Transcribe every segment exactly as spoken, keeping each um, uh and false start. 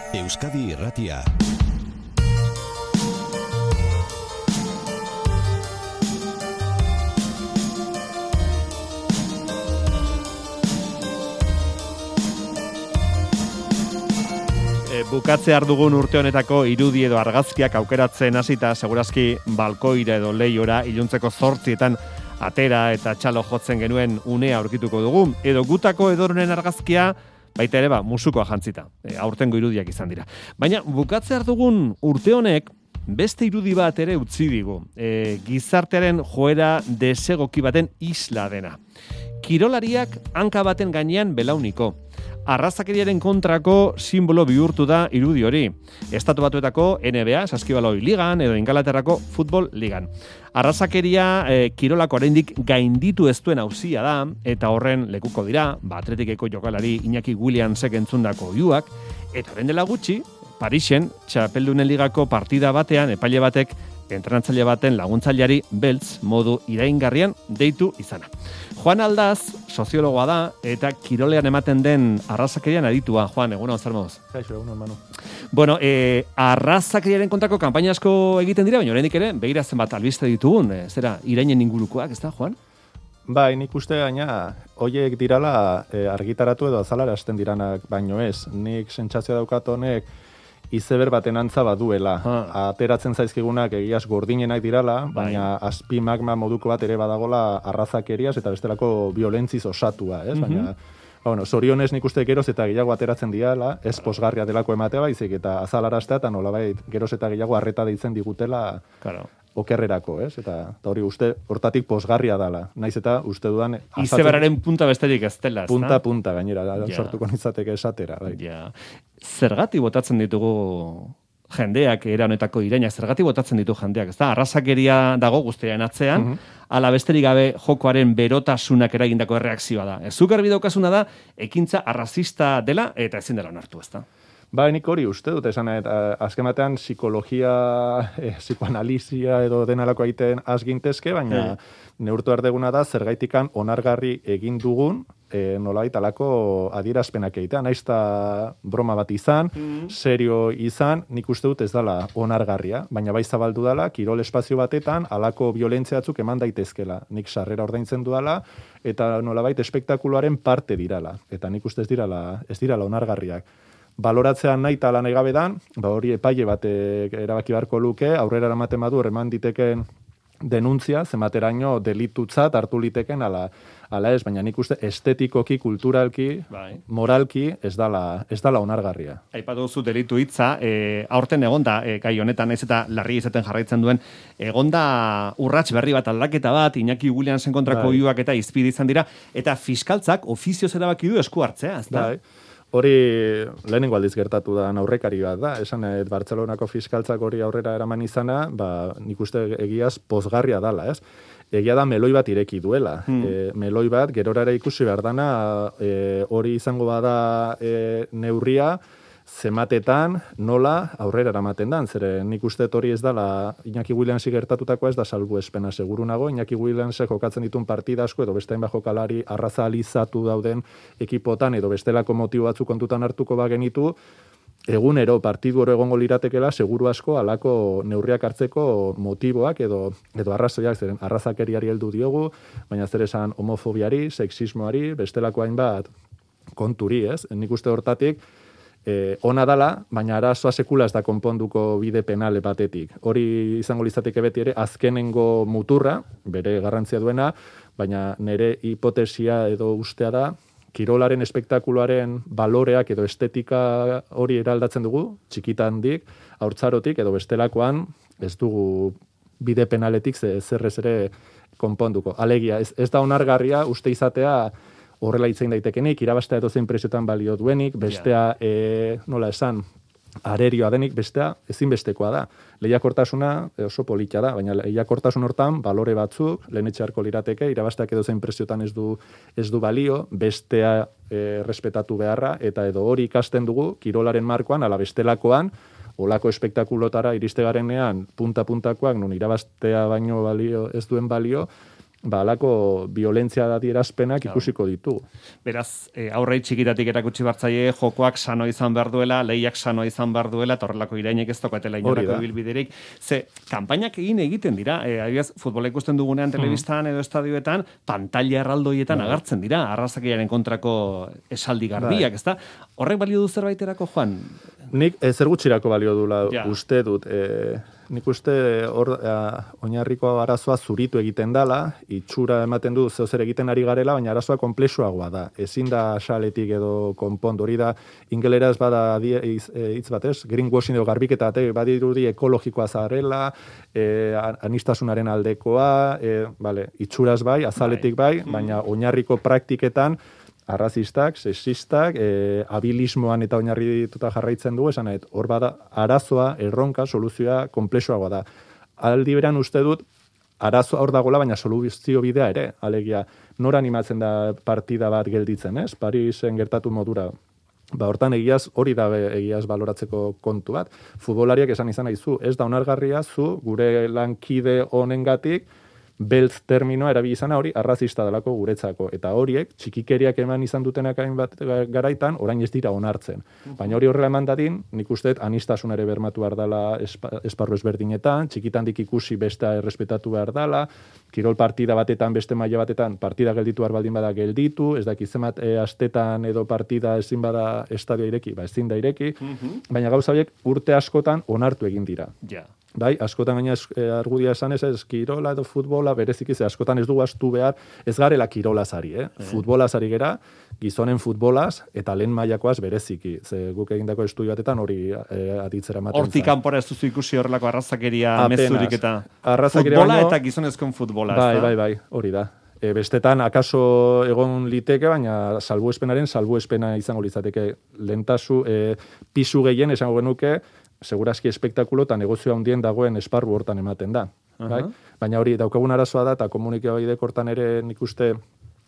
Euskadi Irratia. Bukatze ardugun urte honetako irudi edo argazkiak aukeratzen hasita segurazki balkoira edo leiora iluntzeko zortzietan atera eta txalo jotzen genuen unea aurkituko dugu, edo gutako edoronen argazkia baita ere ba, musukoa jantzita, e, aurtengo irudiak izan dira. Baina bukatze ardugun urte honek beste irudi bat ere utzi digu, e, gizartearen joera desegoki baten isla dena. Kirolariak hanka baten gainean belauniko. Arrazakeriaren kontrako simbolo bihurtu da irudi hori. Estatu Batuetako N B A, saskibaloi ligan, edo Ingalaterrako futbol ligan. Arrazakeria e, kirolako oraindik gainditu ez duen auzia da, eta horren lekuko dira, ba, Atletikeko jokalari Iñaki Williamsek entzundako oihuak, eta orain dela gutxi, Parisen, txapeldunen ligako partida batean, epaile batek, entrenatzaile baten laguntzaileari beltz modu iraingarrian deitu izana. Juan Aldaz, soziologoa da, eta kirolean ematen den arrazakerian aditua. Juan, egunon, zer moduz? Kaixo, egunon, Manu. Bueno, eh, arrazakeriaren kontrako kanpaina asko egiten dira, baina oraindik ere, begira zenbat albiste ditugun, e, zera, irainen ingurukoak, ez da, Juan? Bai, nik uste gaina, hoiek dirala e, argitaratu edo azalara hasten diranak, baino ez. Nik sentsazioa daukat honek, izeber baten antza baduela. Ha. Ateratzen zaizkigunak egiaz gordinenak dirala, baina bai. Azpi magma moduko bat ere badagola arrazakeriaz eta bestelako violentziz osatua, ez? Mm-hmm. Baina, bueno, zorionez nik uste geroz eta gehiago ateratzen diala, ez posgarria delako ematea baizik eta azalaraztea eta nolabait geroz eta gehiago arreta deitzen digutela claro. Okerrerako, ez? Eta, eta hori uste hortatik posgarria dala. Naiz eta uste dudan... Izeberaren punta besterik ez dela, ez Punta, punta, gainera, ja. Sortuko nitzateke esatera. Bai. Ja. Zergati botatzen ditugu jendeak, era honetako irainak, zergati botatzen ditu jendeak, ez da? Arrazakeria dago guztiaren atzean, mm-hmm. ala besterik gabe jokoaren berotasunak eragindako erreakzioa da. Zuk garbi daukasuna da, ekintza arrazista dela eta ezin dela onartu, ez da? Ba, nik hori uste dut, esan, eta azken batean psikologia, eh, psikoanalizia edo denalako egiten azgintezke, baina e. neurtu ardeguna da, zergaitikan onargarri egin dugun, eh, nolabait alako adierazpenak egitea, naizta broma bat izan, mm. serio izan, nik uste dut ez dala onargarria, baina bai zabaldu dala, kirol espazio batetan, alako violentziatzuk eman daitezkela, nik sarrera ordaintzen dudala, eta nolabait espektakuloaren parte dirala, eta nik uste ez dirala, ez dirala onargarriak. Baloratzean nahi eta lan egabedan, ba hori epaile batek erabaki beharko luke, aurrera eramaten badu eman diteken denuntzia, zemateraino delitutzat hartu liteken ala, ala ez, baina nik uste estetikoki, kulturalki, bai. Moralki ez dala, ez dala onargarria. Aipatu duzu delitu hitza, e, aurten egonda, e, gai honetan ez eta larri izaten jarraitzen duen, egonda urrats berri bat aldaketa bat, Iñaki Williamsen kontrako oihuak bai. Eta izpide izan dira, eta fiskaltzak ofizioz erabaki du esku hartzea, ez da? Bai. Hori lehenengo aldiz gertatu da aurrekari bat da, esan et Bartzelonako fiskaltzak hori aurrera eraman izana, ba, nik uste egiaz pozgarria dala, ez? Egia da meloi bat ireki duela. Hmm. E, meloi bat, gerorara ikusi behar dana, e, hori izango bada e, neurria, zematetan nola aurrera eramaten dan, zere nik uste hori ez dala Iñaki Williamsi gertatutakoa ez da salbuespena seguru nago, Iñaki Williamsek jokatzen ditun partida asko edo beste hainbat jokalari arrazalizatu dauden ekipotan edo bestelako motibo batzuk kontutan hartuko bagenitu, egunero partidu oro egongo liratekela seguru asko alako neurriak hartzeko motiboak edo edo arrazoiak, zeren arrazakeriari heldu diogu, baina zer esan homofobiari, sexismoari, bestelako hainbat konturi, ez? Nik uste hortatik Eh, ona dala, baina arazoa sekula ez da konponduko bide penale batetik. Hori izango litzateke beti ere azkenengo muturra, bere garrantzia duena, baina nire hipotesia edo ustea da, kirolaren espektakuloaren baloreak edo estetika hori eraldatzen dugu, txikitandik, haurtzarotik edo bestelakoan ez dugu bide penaletik zerrez ere konponduko. Alegia, ez, ez da onargarria uste izatea horrela hitzein daitekenik, irabaztea edo zein preziotan balio duenik, bestea, yeah. e, nola esan, arerioa denik, bestea ezinbestekoa da. Lehiakortasuna oso politia da, baina lehiakortasun hortan balore batzuk, lehenetxearko lirateke, irabazteak edo zein preziotan ez du, ez du balio, bestea e, respetatu beharra, eta edo hori ikasten dugu, kirolaren markoan, ala bestelakoan, olako espektakulotara iriste garenean, punta-puntakoak, nun irabaztea baino balio, ez duen balio, ba, alako violentzia adierazpenak ikusiko ditugu. Beraz, e, aurrei txikitatik erakutsi bartzaie, jokoak sano izan behar duela, lehiak sano izan behar duela, eta horrelako irainek ez tokatela inolako ibilbiderik. Ze, kanpainak egin egiten dira, e, adibidez, futbola ikusten dugunean telebistan edo estadioetan, pantalla erraldoietan agertzen dira, arrazakiaren kontrako esaldi garbiak, ezta? Horrek balio du zerbaiterako, Juan? Nik e, zer gutxirako balio dula uste dut, e, nik uste hor oinarriko arazoa zuritu egiten dala, itxura ematen du zeu zer egiten ari garela, baina arazoa konplexuagoa da. Ezin da xaletik edo konpondu, hori da ingeleraz bada hitz batez, greenwashing edo garbiketa, badirudi ekologikoa zarela, e, anistasunaren aldekoa, e, vale, itxuraz bai, azaletik bai, baina oinarriko praktiketan arrazistak, sexistak, e, abilismoan eta oinarri dituta jarraitzen dugu, esan nahi, hor bada arazoa, erronka, soluzioa konplexuagoa da. Aldi beran uste dut, arazoa hor dagoela, baina soluzio bidea ere, alegia, nora animatzen da partida bat gelditzen, ez? Parisen gertatu modura. Ba, hortan egiaz, hori da egiaz baloratzeko kontu bat. Futbolariak esan izan nahi zu, ez da onargarria zu, gure lankide honengatik, beltz terminoa erabili izana hori arrazista delako guretzako. Eta horiek, txikikeriak eman izan dutenak hainbat garaitan, orain ez dira onartzen. Baina hori horrela eman dadin, nik uste anistasun ere bermatu behar dela esparru ezberdinetan, txikitandik ikusi besta errespetatu behar dela, kirol partida batetan, beste maila batetan, partida gelditu behar baldin bada gelditu, ez dakit zenbat e, astetan edo partida ezin bada estadio ireki, ba ezin da ireki, baina gauza horiek urte askotan onartu egin dira. Ja. Bai, askotan gaina argudia esan ez, ez kirola edo futbola, bereziki ze askotan ez dugu astu behar, ez garela kirolazari, eh? E. Futbolazari gera, gizonen futbolaz, eta lehen mailakoaz bereziki. Ze guk egindako estudio batetan hori e, aditzera maten. Hortik kanpora ez duzu ikusi horrelako arrazakeria mezurik eta arrazakeria futbola baino, eta gizonezkoen futbola. Bai, bai, bai, hori da. E, bestetan, akaso egon liteke, baina salbuespenaren salbuespena izango litzateke lehentasu, e, pisu gehien esango genuke, segurazki espektakulo eta negozio handien dagoen esparru hortan ematen da. Uh -huh. Bai? Baina hori daukagun arazoa da, eta komunikabideek hortan ere nik uste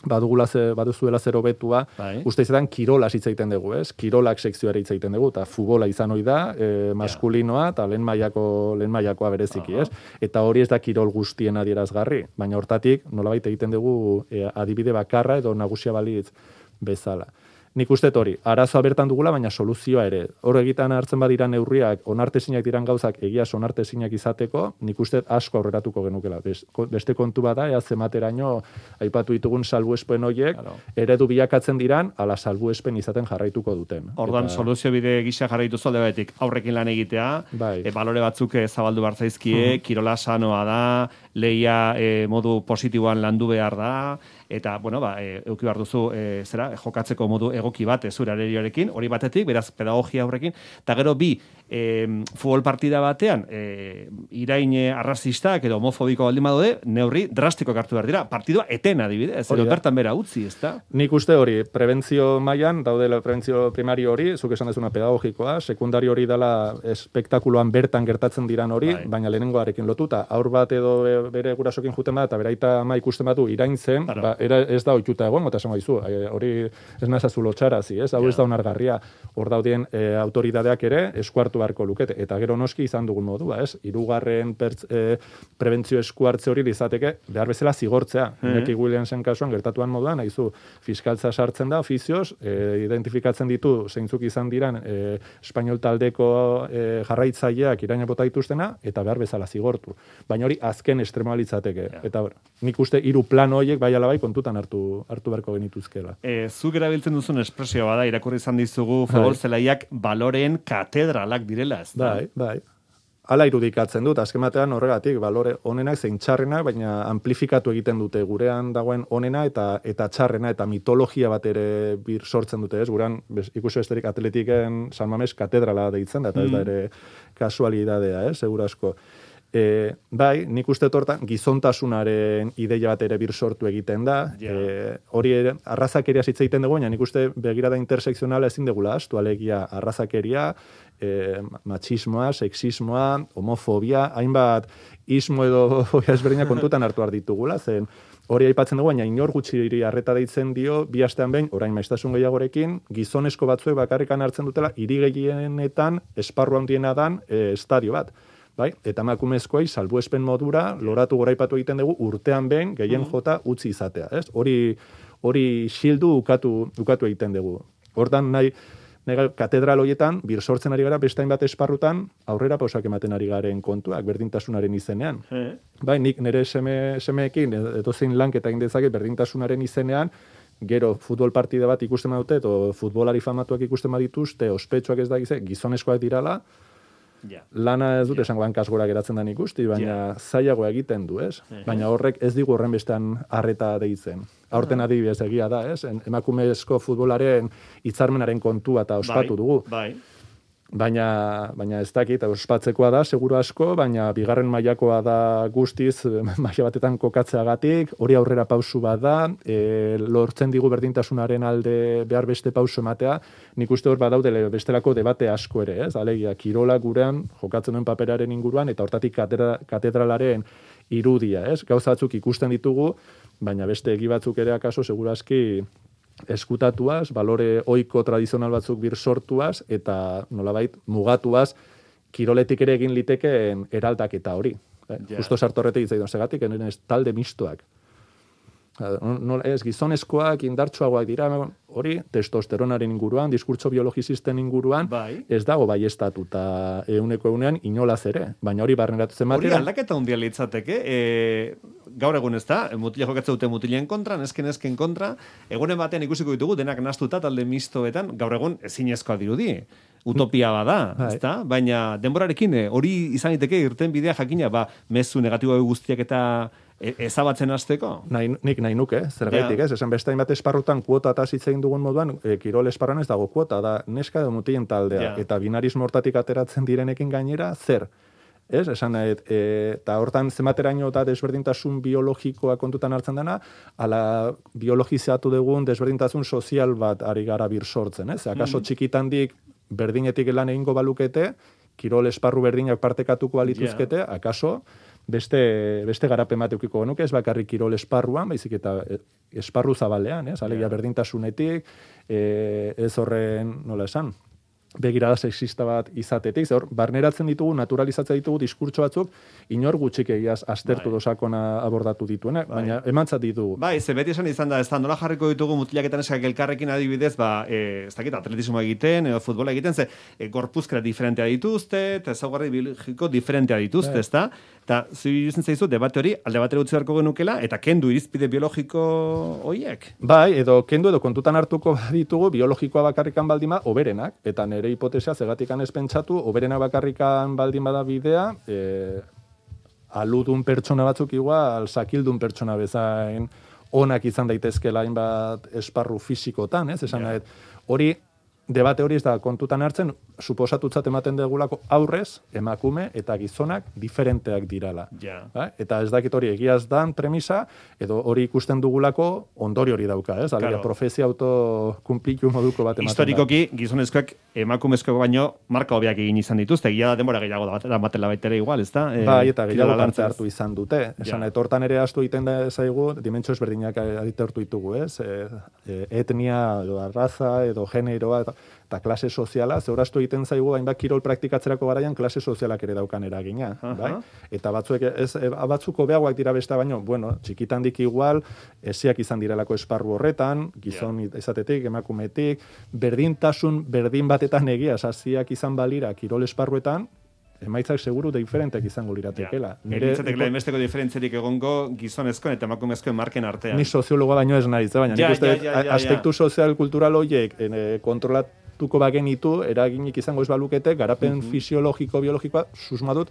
badugula ze, baduzuela zer hobetua, bai. Uste izaten kirolaz hitz egiten dugu, ez? Kirolak sekzioare hitz egiten dugu, eta futbola izan hori da, e, maskulinoa, eta lehen mailako lehen mailakoa bereziki, uh -huh. ez? Eta hori ez da kirol guztien adierazgarri, baina hortatik nolabait egiten dugu e, adibide bakarra edo nagusia balitz bezala. Nik uste hori, arazoa bertan dugula, baina soluzioa ere. Hor egiten hartzen badira neurriak, onartezinak diran gauzak egiaz onartezinak izateko, nik uste asko aurreratuko genukela. Beste kontu bada, ea zemateraino aipatu ditugun salbuespen horiek, claro. Eredu bilakatzen diran, ala salbuespen izaten jarraituko duten. Ordan eta... soluzio bide gisa jarraitu zalde batetik, aurrekin lan egitea, bai. e, balore batzuk zabaldu bartzaizkie, uh-huh. kirola sanoa da, lehia e, modu positiboan landu behar da, eta, bueno, ba, e, euki behar duzu, e, zera, jokatzeko modu egoki bat, zure arerioarekin, hori batetik, beraz, pedagogia horrekin, eta gero bi, e, futbol partida batean, e, irain arrazistak edo homofobiko baldin badaude, neurri drastiko hartu behar dira, partidua eten adibidez, edo bertan bera utzi, ezta? Nik uste hori, prebentzio mailan daudela prebentzio primario hori, zuk esan dezuna pedagogikoa, sekundario hori dela espektakuloan bertan gertatzen diran hori, bai. Baina lehenengoarekin lotuta, aur bat edo bere gurasokin juten bat, eta beraita ama ikusten batu iraintzen, claro. Ba, era, ez da oituta egon, eta esango dizu, hori ez nazazu lotxarazi, ez? Hau ez da onargarria, hor daudien e, autoridadeak ere eskuartu beharko lukete, eta gero noski izan dugun modua, ez? Hirugarren e, prebentzio eskuartze hori izateke behar bezala zigortzea. Mm-hmm. Iñaki Williamsen kasuan gertatuan moduan, nahizu, fiskaltza sartzen da, ofizioz, e, identifikatzen ditu zeintzuk izan diran e, espainol taldeko e, jarraitzaileak iraina bota dituztena, eta behar bezala zigortu. Baina hori azken estremoa litzateke. Yeah. Eta nik uste hiru plan horiek bai ala bai kontutan hartu hartu beharko genituzkela. E, zuk erabiltzen duzun espresio bada, irakurri izan dizugu futbol zelaiak baloreen katedralak direla, ez da? Bai, bai. Hala irudikatzen dut, azken batean horregatik, balore onenak zein txarrenak, baina amplifikatu egiten dute gurean dagoen onena eta eta txarrena, eta mitologia bat ere bir sortzen dute, ez? Gurean, ikusi besterik atletiken San Mames katedrala deitzen da, eta ez da ere kasualidadea, ez? Segura asko. E, bai, nik uste tortan gizontasunaren ideia bat ere bir sortu egiten da. Yeah. E, hori ere, arrazakeria hitz egiten dugu, baina nik uste begirada intersekzionala ezin degula astu, alegia arrazakeria, e, machismoa, sexismoa, homofobia, hainbat ismo edo fobia ezberdina kontutan hartu har ditugula, zen hori aipatzen dugu, baina inor gutxiri harreta deitzen dio, bi astean behin, orain maiztasun gehiagorekin, gizonesko batzuek bakarrikan hartzen dutela, hiri gehienetan esparru handiena dan e, estadio bat. bai? Eta emakumezkoei salbuespen modura loratu goraipatu egiten dugu urtean behin gehien jota utzi izatea, ez? Hori hori xildu ukatu ukatu egiten dugu. Hortan nahi Nega, katedral horietan, bir sortzen ari gara, beste hainbat esparrutan, aurrera pausak ematen ari garen kontuak, berdintasunaren izenean. E. Bai, nik nire seme, semeekin, edo zein lanketa egin dezaket berdintasunaren izenean, gero futbol partida bat ikusten badute, edo futbolari famatuak ikusten badituzte, ospetsuak ez da gize, gizonezkoak dirala, yeah. Lana ez dut yeah. esango hankasgora geratzen da ikusti, baina yeah. zailagoa egiten du, ez? Uh-huh. Baina horrek ez digu horren bestean harreta deitzen. Aurten adibidez egia da, ez? Emakumezko futbolaren hitzarmenaren kontua eta ospatu dugu. Bai. Baina, baina ez dakit, ospatzekoa da, seguru asko, baina bigarren mailakoa da guztiz, maila batetan kokatzeagatik, hori aurrera pausu bat da, e, lortzen digu berdintasunaren alde behar beste pausu ematea, nik uste hor badaude bestelako debate asko ere, ez? Alegia, kirola gurean, jokatzen duen paperaren inguruan, eta hortatik katedra, katedralaren irudia, ez? Gauzatzuk ikusten ditugu, baina beste egi batzuk ere akaso, seguru aski, eskutatuaz, balore oiko tradizional batzuk bir sortuaz, eta nolabait mugatuaz, kiroletik ere egin litekeen eraldaketa hori. Eh? Yeah. Justo sartorretik izan segatik, enen ez talde mistoak. No, ez gizonezkoak, indartsuagoak dira, hori, testosteronaren inguruan, diskurtso biologizisten inguruan, bai. Ez dago baiestatuta euneko eunean inolaz ere, baina hori barneratu zen hori aldaketa hundia litzateke, e, gaur egun ez da, mutila jokatzen dute mutilen kontra, nesken esken kontra, egunen batean ikusiko ditugu, denak nastuta talde mistoetan, gaur egun ezinezkoa dirudi. Utopia bada, ezta? Baina denborarekin hori izan liteke irten bidea jakina, ba, mezu negatibo guztiak eta ezabatzen hasteko? Nahi, nik nahi nuke, zergaitik, ja. Ez? Esan beste hainbat esparrutan kuota eta hitzein dugun moduan, e, kirol esparruan ez dago kuota, da neska edo mutilen taldea, ja. Eta binarismo hortatik ateratzen direnekin gainera, zer? Ez? Esan nahi, e, eta hortan zenbateraino eta desberdintasun biologikoa kontutan hartzen dena, ala biologizatu dugun desberdintasun sozial bat ari gara bir sortzen, ez? Akaso mm. txikitandik berdinetik lan egingo balukete, kirol esparru berdinak partekatuko balituzkete, yeah. Akaso beste, beste garapen bat eukiko genuke, ez bakarrik kirol esparruan, baizik eta esparru zabalean, ez? Alegia yeah. Berdintasunetik, e, ez horren, nola esan, begirada sexista bat izatetik, hor barneratzen ditugu, naturalizatzen ditugu diskurtso batzuk, inor gutxik egiaz aztertu bai. Dosakona abordatu dituenak, bai. Baina emantzat ditugu. Bai, ze beti esan izan da, ez da, nola jarriko ditugu mutilaketan eskak elkarrekin adibidez, ba, e, ez dakit, atletismo egiten, edo futbola egiten, ze, e, gorpuzkera diferentea dituzte, eta ezaugarri biologiko diferentea dituzte, ez da? Eta, zuizuzen zaizu, debate hori, alde batera utzi beharko genukela, eta kendu irizpide biologiko horiek? Bai, edo kendu edo kontutan hartuko ditugu, biologikoa bakarrikan baldima, oberenak, eta nire hipotesia zegatikan ez pentsatu, oberenak bakarrikan baldin bada bidea, e, aludun pertsona batzuk igual, sakildun pertsona bezain, onak izan daitezkela hainbat esparru fisikotan, ez? Esan yeah. Hori, debate hori ez da kontutan hartzen, suposatutzat ematen degulako aurrez, emakume eta gizonak diferenteak dirala. Yeah. Ba? Eta ez dakit hori egiaz dan premisa, edo hori ikusten dugulako ondori hori dauka, ez? Alegia, claro. Profezia autokumpliku moduko bat ematen historikoki, da. Gizonezkoak emakumezkoak baino marka hobiak egin izan dituzte, egia da denbora gehiago da batera batela baitere igual, ez da? E, bai, eta gehiago parte hartu izan dute. Esan, yeah. Etortan ere astu egiten da zaigu, dimentsio ezberdinak aditortu ditugu, ez? E, e, etnia, edo arraza, edo generoa, eta eta klase soziala, zeuraztu egiten zaigu, hainbat kirol praktikatzerako garaian klase sozialak ere daukan eragina, uh-huh. Bai? Eta batzuek, ez, batzuk hobeagoak dira besta baino, bueno, txikitandik igual, esiak izan direlako esparru horretan, gizon yeah. izatetik, emakumetik, berdintasun, berdin batetan egia, saziak izan balira kirol esparruetan, emaitzak seguru diferentek izango liratekela. Ja. Nire emesteko diferentzerik egongo gizonezkoen eta emakumezkoen marken artean. Ni soziologoa baino ez naiz, baina ja, nik uste ja, ja, ja, aspektu ja. Sozial kultural horiek kontrolatuko bagenitu, eraginik izango ez balukete, garapen uh-huh. fisiologiko, biologikoa, susmadut,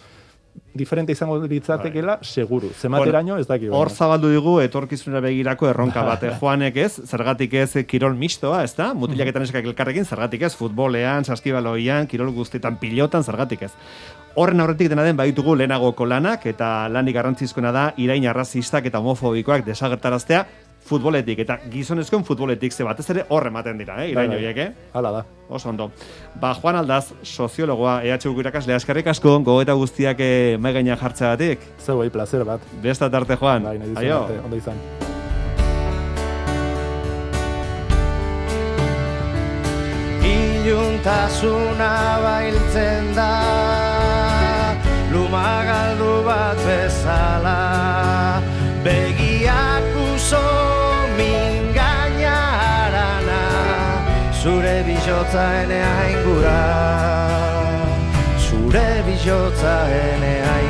diferente izango litzatekela, bai. Seguru. Zemateraino ez daki. Hor zabaldu digu, etorkizunera begirako erronka bate. Joanek ez, zergatik ez kirol mistoa, ez da? Mutilaketan eskak elkarrekin, zergatik ez, futbolean, saskibaloian, kirol guztietan, pilotan, zergatik ez. Horren aurretik dena den baditugu lehenagoko lanak, eta lanik garrantzizkoena da, irain arrazistak eta homofobikoak desagertaraztea, futboletik, eta gizonezkoen futboletik, ze batez ere horre ematen dira, eh? Irain horiek, eh? Hala da. Oso ondo. Ba, Juan Aldaz, soziologoa, E H U irakaslea, eskerrik asko, gogoeta guztiak eh, mai gainean jartzeagatik. Zeu, bai, placer bat. Bestat arte, Juan. Bai, nahi dizun arte, ondo izan. Iluntasuna bailtzen da, luma bijotza ene aingura, zure bijotza ene aingura.